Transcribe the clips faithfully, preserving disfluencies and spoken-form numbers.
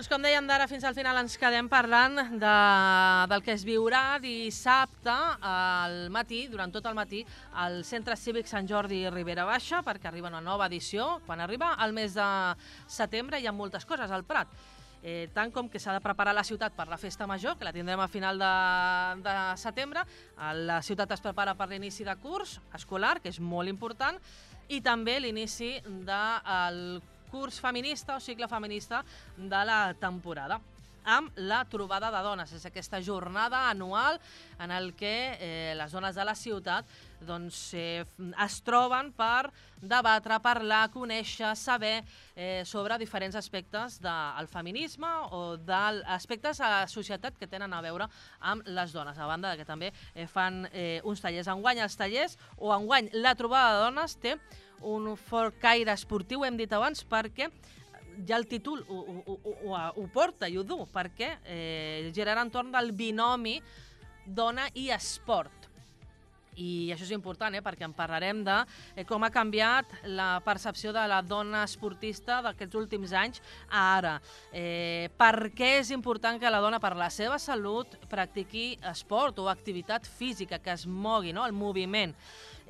Doncs com dèiem, d'ara fins al final ens quedem parlant de, del que es viurà dissabte al matí, durant tot el matí, al Centre Cívic Sant Jordi Ribera Baixa, perquè arriba una nova edició. Quan arriba el mes de setembre hi ha moltes coses al Prat. Eh, tant com que s'ha de preparar la ciutat per la festa major, que la tindrem a final de, de setembre. La ciutat es prepara per l'inici de curs escolar, que és molt important, i també l'inici del curs feminista o cicle feminista de la temporada, amb la trobada de dones. És aquesta jornada anual en el que eh, les dones de la ciutat doncs, eh, es troben per debatre, parlar, conèixer, saber eh, sobre diferents aspectes del feminisme o d'aspectes a la societat que tenen a veure amb les dones. A banda que també eh, fan eh, uns tallers. Enguany els tallers, o enguany la trobada de dones té un fort caire esportiu, hem dit abans, perquè ja el títol ho, ho, ho, ho porta i ho du, perquè eh, girarà entorn del binomi dona i esport. I això és important, eh, perquè en parlarem de eh, com ha canviat la percepció de la dona esportista d'aquests últims anys a ara. Eh, per què és important que la dona, per la seva salut, practiqui esport o activitat física, que es mogui, no?, el moviment.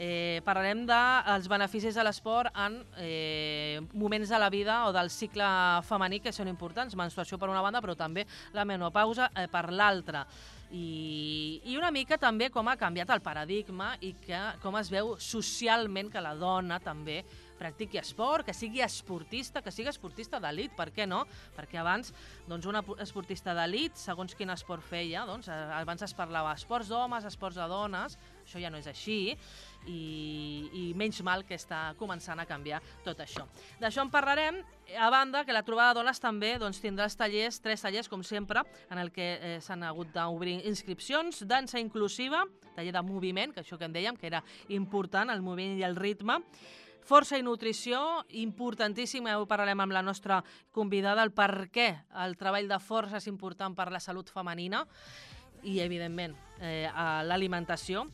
Eh, parlarem dels beneficis de l'esport en eh, moments de la vida o del cicle femení que són importants, menstruació per una banda, però també la menopausa eh, per l'altra. I, I una mica també com ha canviat el paradigma i que, com es veu socialment que la dona també practiqui esport, que sigui esportista, que sigui esportista d'elit, per què no? Perquè abans, doncs, una esportista d'elit, segons quin esport feia, doncs, abans es parlava esports d'homes, esports de dones, això ja no és així, i, i menys mal que està començant a canviar tot això. D'això en parlarem, a banda que la trobada de dones també doncs, tindrà els tallers, tres tallers, com sempre, en el que eh, s'han hagut d'obrir inscripcions, dansa inclusiva, taller de moviment, que això que en dèiem, que era important, el moviment i el ritme, força i nutrició, importantíssim, ho parlarem amb la nostra convidada, el per què el treball de força és important per la salut femenina i, evidentment, eh, l'alimentació.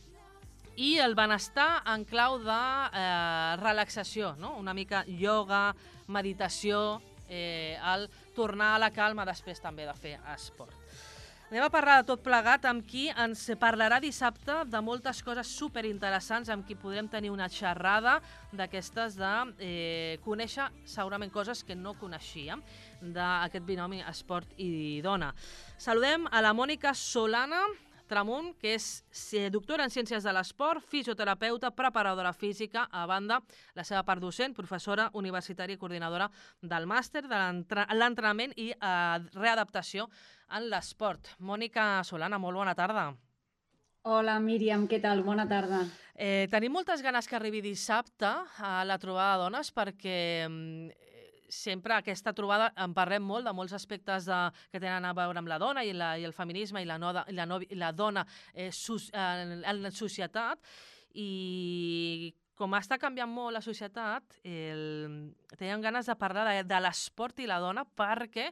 I el benestar en clau de eh, relaxació, no? Una mica ioga, meditació, eh, el tornar a la calma després també de fer esport. Anem a parlar de tot plegat amb qui ens parlarà dissabte de moltes coses superinteressants, amb qui podrem tenir una xerrada d'aquestes de eh, conèixer segurament coses que no coneixíem d'aquest binomi esport i dona. Saludem a la Mònica Solana Tramunt, que és doctora en Ciències de l'Esport, fisioterapeuta, preparadora física, a banda la seva part docent, professora universitària i coordinadora del màster de l'entrenament i eh, readaptació en l'esport. Mònica Solana, molt bona tarda. Hola, Míriam, què tal? Bona tarda. Eh, tenim moltes ganes que arribi dissabte a la trobada de dones perquè sempre aquesta trobada en parlem molt de molts aspectes de, que tenen a veure amb la dona i, la, i el feminisme i la, no, i la, no, i la dona eh, sus, en, en la societat, i com està canviant molt la societat, el, teníem ganes de parlar de, de l'esport i la dona perquè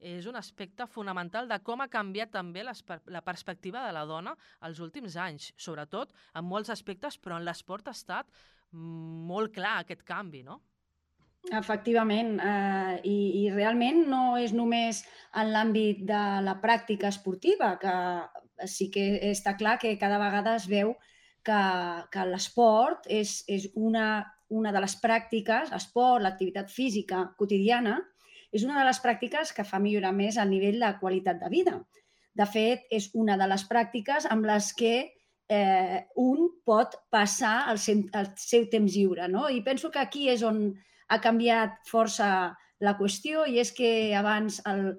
és un aspecte fonamental de com ha canviat també les, la perspectiva de la dona els últims anys, sobretot en molts aspectes, però en l'esport ha estat molt clar aquest canvi, no? Efectivament, eh, i, i realment no és només en l'àmbit de la pràctica esportiva, que sí que està clar que cada vegada es veu que, que l'esport és, és una, una de les pràctiques, l'esport, l'activitat física quotidiana, és una de les pràctiques que fa millorar més el nivell de qualitat de vida. De fet, és una de les pràctiques amb les que eh, un pot passar el seu, el seu temps lliure, no? I penso que aquí és on ha canviat força la qüestió, i és que abans el,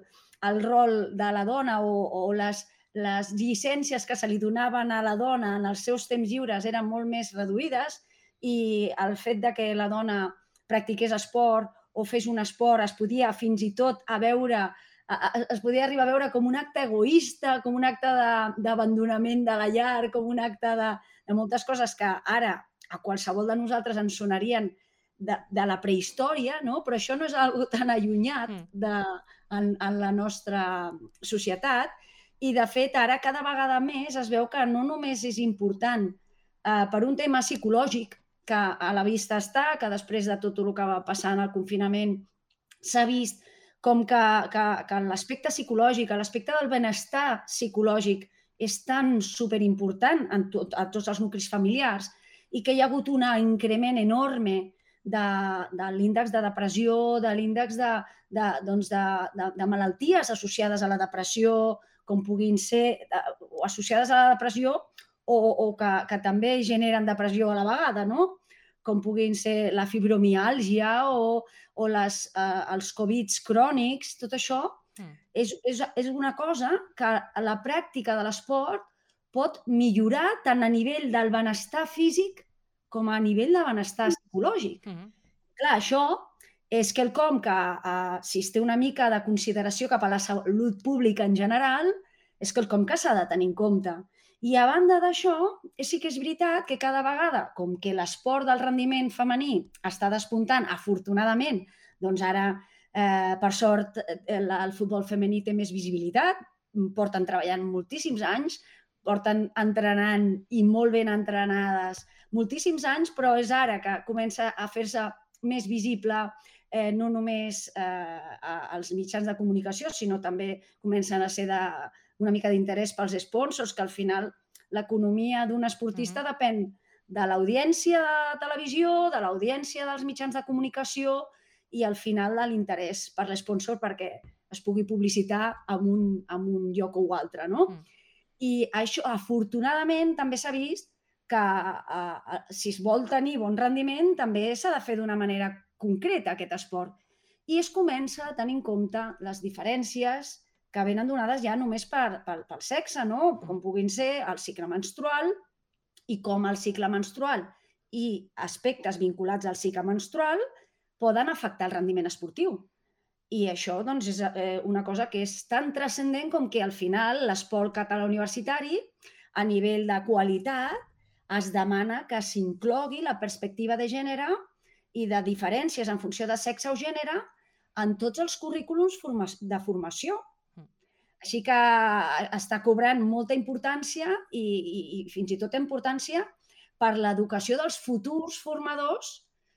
el rol de la dona o, o les, les llicències que se li donaven a la dona en els seus temps lliures eren molt més reduïdes, i el fet de que la dona practiqués esport o fes un esport es podia fins i tot a veure, es podia arribar a veure com un acte egoista, com un acte d'abandonament de, de la llar, com un acte de, de moltes coses que ara a qualsevol de nosaltres ens sonarien De, de la prehistòria, no? Però això no és algo tan allunyat de, en, en la nostra societat, i de fet ara cada vegada més es veu que no només és important eh, per un tema psicològic, que a la vista està, que després de tot el que va passar en el confinament s'ha vist com que, que, que l'aspecte psicològic, l'aspecte del benestar psicològic és tan superimportant en tot, a tots els nuclis familiars i que hi ha hagut un increment enorme de, de l'índex de depressió, de l'índex de, de, doncs de, de, de malalties associades a la depressió, com puguin ser, o associades a la depressió o, o que, que també generen depressió a la vegada, no? Com puguin ser la fibromiàlgia o, o les, eh, els Covids crònics, tot això mm. és, és, és una cosa que a la pràctica de l'esport pot millorar tant a nivell del benestar físic com a nivell de benestar psicològic. Mm -hmm. Clar, això és quelcom que, eh, si es té una mica de consideració cap a la salut pública en general, és quelcom que s'ha de tenir en compte. I a banda d'això, sí que és veritat que cada vegada, com que l'esport del rendiment femení està despuntant, afortunadament, doncs ara, eh, per sort, el, el futbol femení té més visibilitat, porten treballant moltíssims anys, porten entrenant i molt ben entrenades moltíssims anys, però és ara que comença a fer-se més visible eh, no només eh, als mitjans de comunicació, sinó també comencen a ser de, una mica d'interès pels sponsors, que al final l'economia d'un esportista mm-hmm. depèn de l'audiència de televisió, de l'audiència dels mitjans de comunicació i al final de l'interès per l'esponsor perquè es pugui publicitar en un, en un lloc o altre, no? Mm. I això, afortunadament, també s'ha vist que eh, si es vol tenir bon rendiment també s'ha de fer d'una manera concreta aquest esport. I es comença a tenir en compte les diferències que venen donades ja només per, per, pel sexe, no? Com puguin ser el cicle menstrual i com el cicle menstrual i aspectes vinculats al cicle menstrual poden afectar el rendiment esportiu. I això doncs, és eh, una cosa que és tan transcendent com que al final l'esport català universitari, a nivell de qualitat, es demana que s'inclogui la perspectiva de gènere i de diferències en funció de sexe o gènere en tots els currículums de formació. Així que està cobrant molta importància i, i, i fins i tot importància per l'educació dels futurs formadors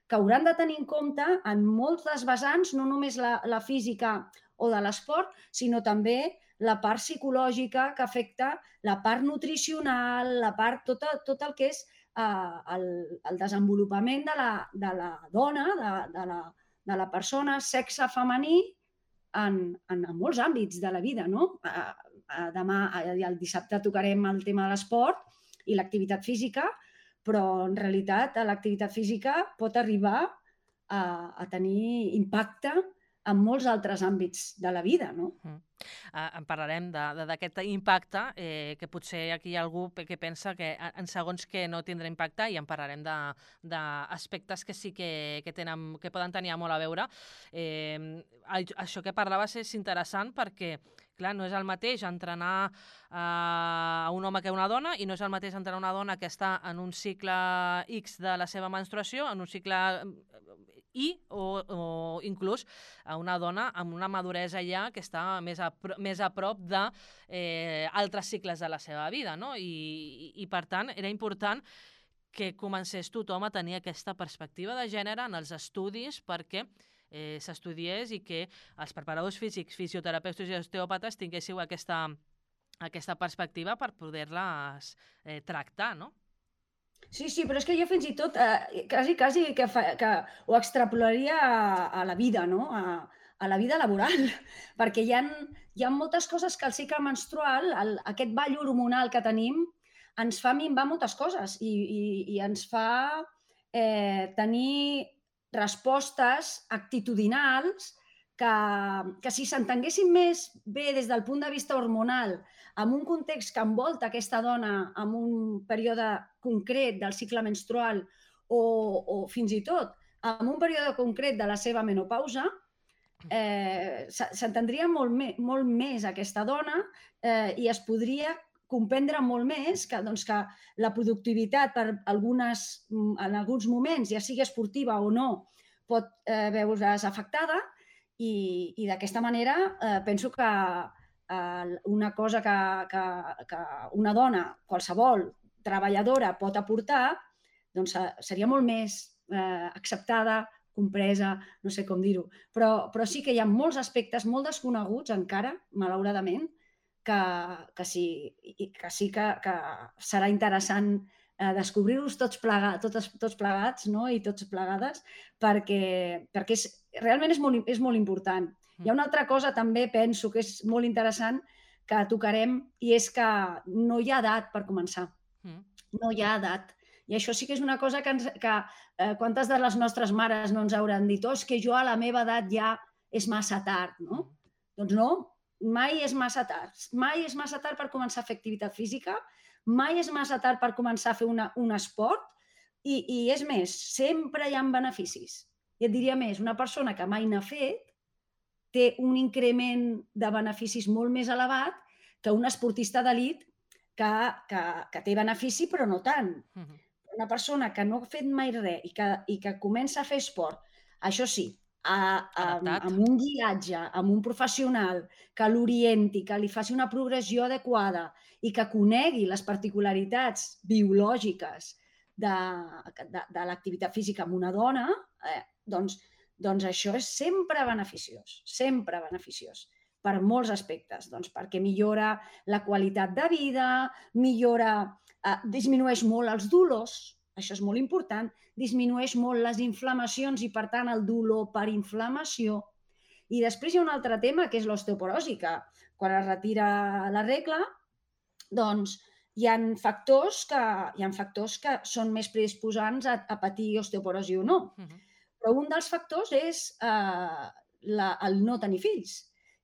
que hauran de tenir en compte en moltes vessants, no només la, la física o de l'esport, sinó també la part psicològica que afecta la part nutricional, la part, tot, tot el que és eh, el, el desenvolupament de la, de la dona, de, de, la, de la persona, sexe femení, en, en, en molts àmbits de la vida, no? A, a, demà, a, el dissabte tocarem el tema de l'esport i l'activitat física, però en realitat l'activitat física pot arribar a, a tenir impacte en molts altres àmbits de la vida, no? Mm. Uh, en parlarem d'aquest impacte, eh, que potser aquí hi ha algú que pensa que en segons que no tindrà impacte, i en parlarem d'aspectes que sí que, que, tenen, que poden tenir molt a veure. Eh, això que parlaves és interessant perquè, clar, no és el mateix entrenar uh, a un home que una dona i no és el mateix entrenar una dona que està en un cicle X de la seva menstruació, en un cicle I o, o inclús a una dona amb una maduresa ja que està més a, més a prop d'altres eh, altres cicles de la seva vida, no? I, i, i per tant era important que comencés tothom a tenir aquesta perspectiva de gènere en els estudis perquè eh, s'estudiés i que els preparadors físics, fisioterapeutes i osteòpates tinguéssiu aquesta, aquesta perspectiva per poder-les eh, tractar, no? Sí, sí, però és que jo fins i tot eh, quasi, quasi que, fa, que ho extrapolaria a, a la vida, no? A, a la vida laboral, perquè hi ha, hi ha moltes coses que el cicle menstrual, el, aquest ball hormonal que tenim, ens fa minvar moltes coses i, i, i ens fa eh, tenir respostes actitudinals que, que si s'entenguessin més bé des del punt de vista hormonal, en un context que envolta aquesta dona en un període concret del cicle menstrual o, o fins i tot en un període concret de la seva menopausa, eh, s'entendria molt, me, molt més aquesta dona eh, i es podria comprendre molt més que, doncs, que la productivitat per algunes, en alguns moments, ja sigui esportiva o no, pot eh, veure's afectada i, i d'aquesta manera eh, penso que una cosa que, que, que una dona, qualsevol treballadora pot aportar, doncs seria molt més eh, acceptada compresa, no sé com dir-ho, però, però sí que hi ha molts aspectes molt desconeguts encara, malauradament, que, que sí, i que, sí que, que serà interessant eh, descobrir-los tots, plega, tots, tots plegats, no? I tots plegades, perquè, perquè és, realment és molt, és molt important. Hi ha una altra cosa també, penso, que és molt interessant, que tocarem, i és que no hi ha edat per començar. No hi ha edat. I això sí que és una cosa que, ens, que eh, quantes de les nostres mares no ens hauran dit, oh, és que jo a la meva edat ja és massa tard, no? Doncs no, mai és massa tard. Mai és massa tard per començar a fer activitat física, mai és massa tard per començar a fer una, un esport, i, i és més, sempre hi ha beneficis. I et diria més, una persona que mai n'ha fet té un increment de beneficis molt més elevat que un esportista d'elit que, que, que té benefici, però no tant. Uh-huh. Una persona que no ha fet mai res i que, i que comença a fer esport, això sí, a, a, amb un guiatge, amb un professional que l'orienti, que li faci una progressió adequada i que conegui les particularitats biològiques de, de, de l'activitat física amb una dona, eh, doncs, doncs això és sempre beneficiós, sempre beneficiós. Per molts aspectes, doncs perquè millora la qualitat de vida, millora, eh, disminueix molt els dolors, això és molt important, disminueix molt les inflamacions i, per tant, el dolor per inflamació. I després hi ha un altre tema, que és l'osteoporosi, que quan es retira la regla, doncs hi ha factors que, hi ha factors que són més predisposants a, a patir osteoporosi o no. Uh-huh. Però un dels factors és eh, la, el no tenir fills.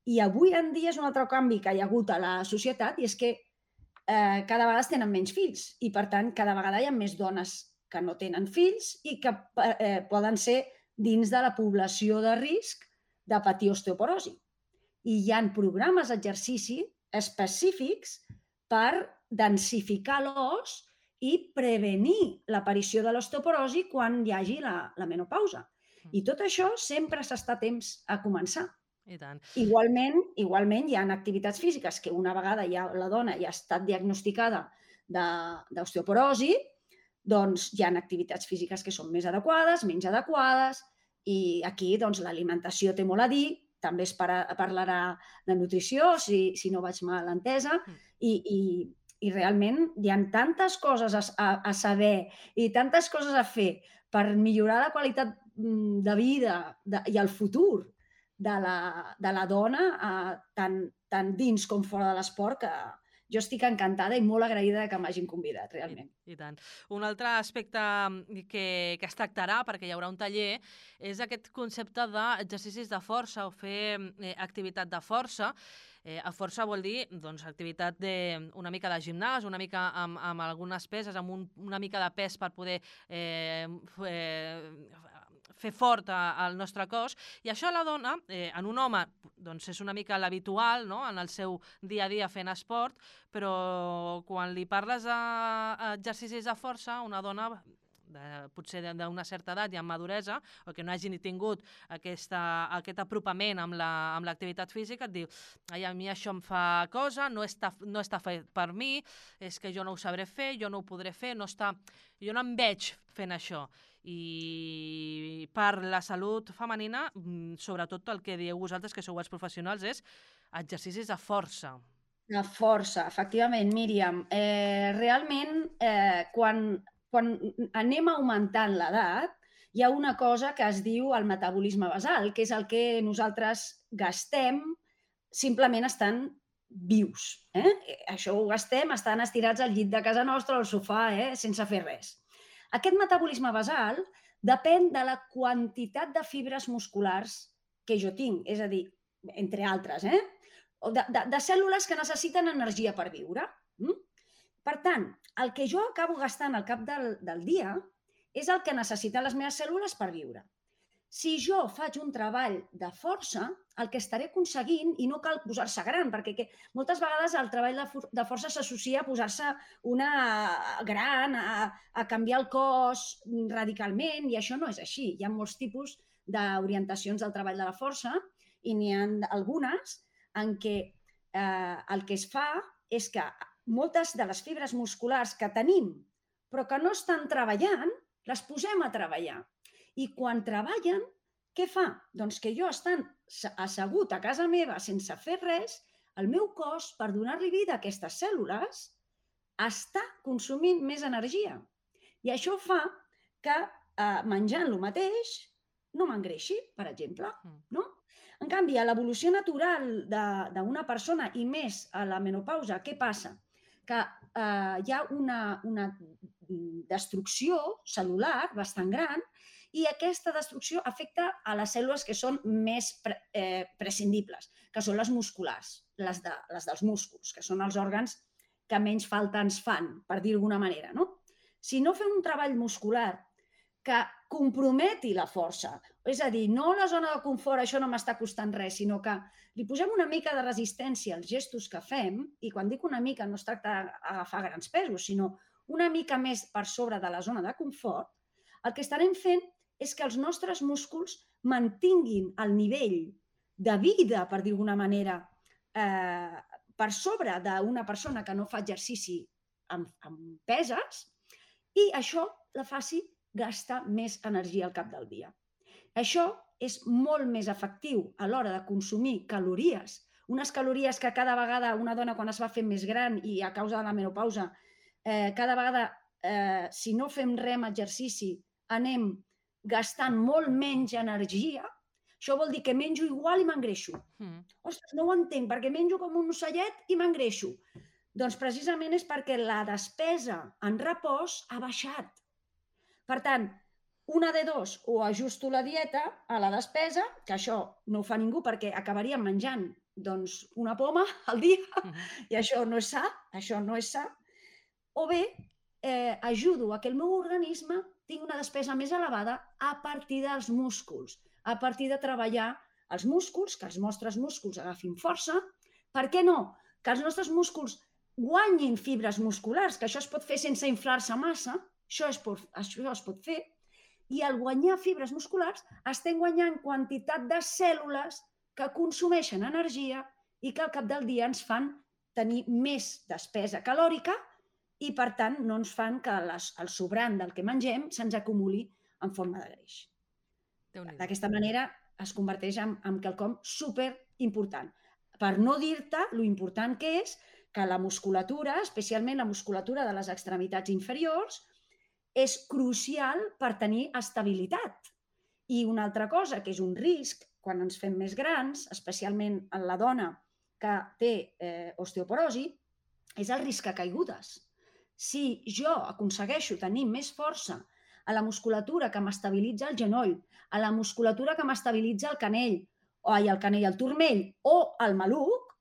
I avui en dia és un altre canvi que hi ha hagut a la societat, i és que eh, cada vegada es tenen menys fills i, per tant, cada vegada hi ha més dones que no tenen fills i que eh, poden ser dins de la població de risc de patir osteoporosi. I hi ha programes d'exercici específics per densificar l'os i prevenir l'aparició de l'osteoporosi quan hi hagi la, la menopausa. I tot això sempre s'està a temps a començar. I tant. Igualment, igualment hi ha activitats físiques que una vegada ja la dona ja ha estat diagnosticada d'osteoporosi, doncs hi ha activitats físiques que són més adequades, menys adequades, i aquí doncs, l'alimentació té molt a dir, també es para, parlarà de nutrició, si, si no vaig mal entesa, i, i, i realment hi ha tantes coses a, a, a saber i tantes coses a fer per millorar la qualitat de vida de, i el futur de la, de la dona, eh, tant, tant dins com fora de l'esport, que jo estic encantada i molt agraïda que m'hagin convidat, realment. I, i tant. Un altre aspecte que, que es tractarà, perquè hi haurà un taller, és aquest concepte d'exercicis de força o fer eh, activitat de força. Eh, a força vol dir doncs, activitat de, una mica de gimnàs, una mica amb, amb algunes peses, amb un, una mica de pes per poder eh, eh, fer fort al nostre cos, i això a la dona, eh, en un home, doncs és una mica l'habitual, no?, en el seu dia a dia fent esport, però quan li parles d'exercicis de força, una dona de, potser d'una certa edat i amb maduresa, o que no hagi ni tingut aquesta, aquest apropament amb l'activitat la, física, et diu, ai, a mi això em fa cosa, no està, no està fet per mi, és que jo no ho sabré fer, jo no ho podré fer, no està, jo no em veig fent això. I per la salut femenina, sobretot el que dieu vosaltres, que sou els professionals, és exercicis de força. De força, efectivament, Míriam. Eh, realment, eh, quan, quan anem augmentant l'edat, hi ha una cosa que es diu el metabolisme basal, que és el que nosaltres gastem simplement estant vius. Eh? Això ho gastem estant estirats al llit de casa nostra o al sofà, eh? sense fer res. Aquest metabolisme basal depèn de la quantitat de fibres musculars que jo tinc, és a dir, entre altres, eh? de, de, de cèl·lules que necessiten energia per viure. Per tant, el que jo acabo gastant al cap del, del dia és el que necessiten les meves cèl·lules per viure. Si jo faig un treball de força, el que estaré aconseguint, i no cal posar-se gran, perquè que, moltes vegades el treball de, for de força s'associa a posar-se una gran, a, a canviar el cos radicalment, i això no és així. Hi ha molts tipus d'orientacions del treball de la força, i n'hi ha algunes en què eh, el que es fa és que moltes de les fibres musculars que tenim, però que no estan treballant, les posem a treballar. I quan treballen, què fa? Doncs que jo, estant assegut a casa meva sense fer res, el meu cos, per donar-li vida a aquestes cèl·lules, està consumint més energia. I això fa que eh, menjant el mateix no m'engreixi, per exemple. No? En canvi, a l'evolució natural d'una persona i més a la menopausa, què passa? Que eh, hi ha una, una destrucció cel·lular bastant gran i aquesta destrucció afecta a les cèl·lules que són més pre, eh, prescindibles, que són les musculars, les, de, les dels músculs, que són els òrgans que menys falta ens fan, per dir d'alguna manera. No? Si no fem un treball muscular que comprometi la força, és a dir, no la zona de confort, això no m'està costant res, sinó que li posem una mica de resistència als gestos que fem, i quan dic una mica no es tracta d'agafar grans pesos, sinó una mica més per sobre de la zona de confort, el que estarem fent és que els nostres músculs mantinguin el nivell de vida, per dir d'alguna manera, eh, per sobre d'una persona que no fa exercici amb, amb peses, i això la faci gastar més energia al cap del dia. Això és molt més efectiu a l'hora de consumir calories, unes calories que cada vegada una dona quan es va fent més gran i a causa de la menopausa, eh, cada vegada, eh, si no fem res amb exercici, anem gastant molt menys energia. Això vol dir que menjo igual i m'engreixo. Mm. Ostres, no ho entenc, perquè menjo com un ocellet i m'engreixo. Doncs precisament és perquè la despesa en repòs ha baixat. Per tant, una de dos, o ajusto la dieta a la despesa, que això no ho fa ningú perquè acabaríem menjant doncs, una poma al dia, uh-huh. i això no és sa, això no és sa, o bé eh, ajudo a que el meu organisme tingui una despesa més elevada a partir dels músculs, a partir de treballar els músculs, que els nostres músculs agafin força. Per què no? Que els nostres músculs guanyin fibres musculars, que això es pot fer sense inflar-se massa, això es, pot, això es pot fer, i al guanyar fibres musculars estem guanyant quantitat de cèl·lules que consumeixen energia i que al cap del dia ens fan tenir més despesa calòrica i, per tant, no ens fan que les, el sobrant del que mengem se'ns acumuli en forma de greix. D'aquesta manera es converteix en, en quelcom superimportant. Per no dir-te lo important que és que la musculatura, especialment la musculatura de les extremitats inferiors, és crucial per tenir estabilitat. I una altra cosa, que és un risc, quan ens fem més grans, especialment en la dona que té eh, osteoporosi, és el risc a caigudes. Si jo aconsegueixo tenir més força a la musculatura que m'estabilitza el genoll, a la musculatura que m'estabilitza el canell, o ai, el canell, el turmell o el maluc,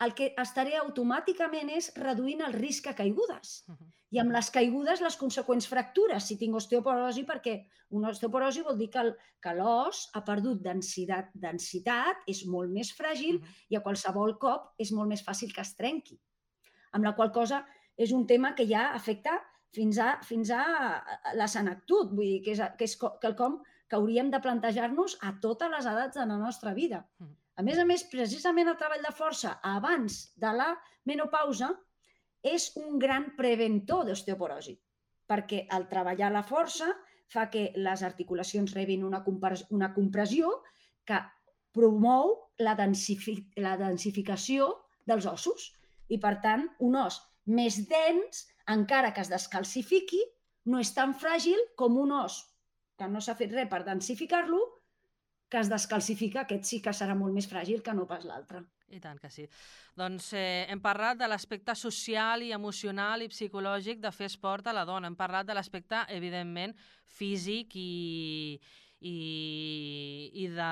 el que estaré automàticament és reduint el risc a caigudes. Uh-huh. I amb les caigudes, les conseqüents fractures, si tinc osteoporosi, perquè una osteoporosi vol dir que, que l'os ha perdut densitat, densitat, és molt més fràgil uh-huh. i a qualsevol cop és molt més fàcil que es trenqui. Amb la qual cosa és un tema que ja afecta fins a, fins a la senectut, vull dir que és, que és quelcom que hauríem de plantejar-nos a totes les edats de la nostra vida. Uh-huh. A més a més, precisament el treball de força abans de la menopausa és un gran preventor d'osteoporosi, perquè el treballar la força fa que les articulacions rebin una, una compressió que promou la, densifi la densificació dels ossos i, per tant, un os més dens, encara que es descalcifiqui, no és tan fràgil com un os que no s'ha fet res per densificar-lo, que es descalcifica, aquest sí que serà molt més fràgil que no pas l'altre. I tant que sí. Doncs eh, hem parlat de l'aspecte social i emocional i psicològic de fer esport a la dona. Hem parlat de l'aspecte, evidentment, físic i, i, i, de,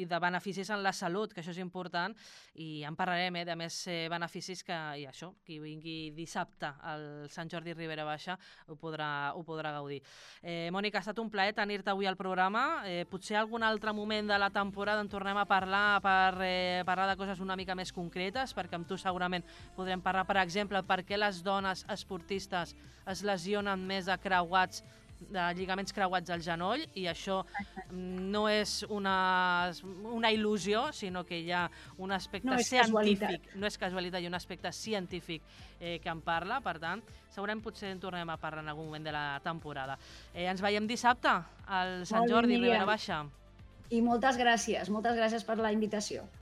i de beneficis en la salut, que això és important, i en parlarem eh, de més eh, beneficis que, i això, qui vingui dissabte al Sant Jordi Ribera Baixa ho podrà, ho podrà gaudir. Eh, Mònica, ha estat un plaer tenir-te avui al programa. Eh, potser algun altre moment de la temporada en tornem a parlar per eh, parlar de coses una mica més concretes, perquè amb tu segurament podrem parlar, per exemple, per què les dones esportistes es lesionen més de creuats de lligaments creuats al genoll, i això no és una, una il·lusió, sinó que hi ha un aspecte No és científic, casualitat. no és casualitat, hi ha un aspecte científic eh, que en parla, per tant, segurament potser en tornem a parlar en algun moment de la temporada. Eh, ens veiem dissabte al Sant Molt bé, Jordi, Míriam. Ribera Baixa. I moltes gràcies, moltes gràcies per la invitació.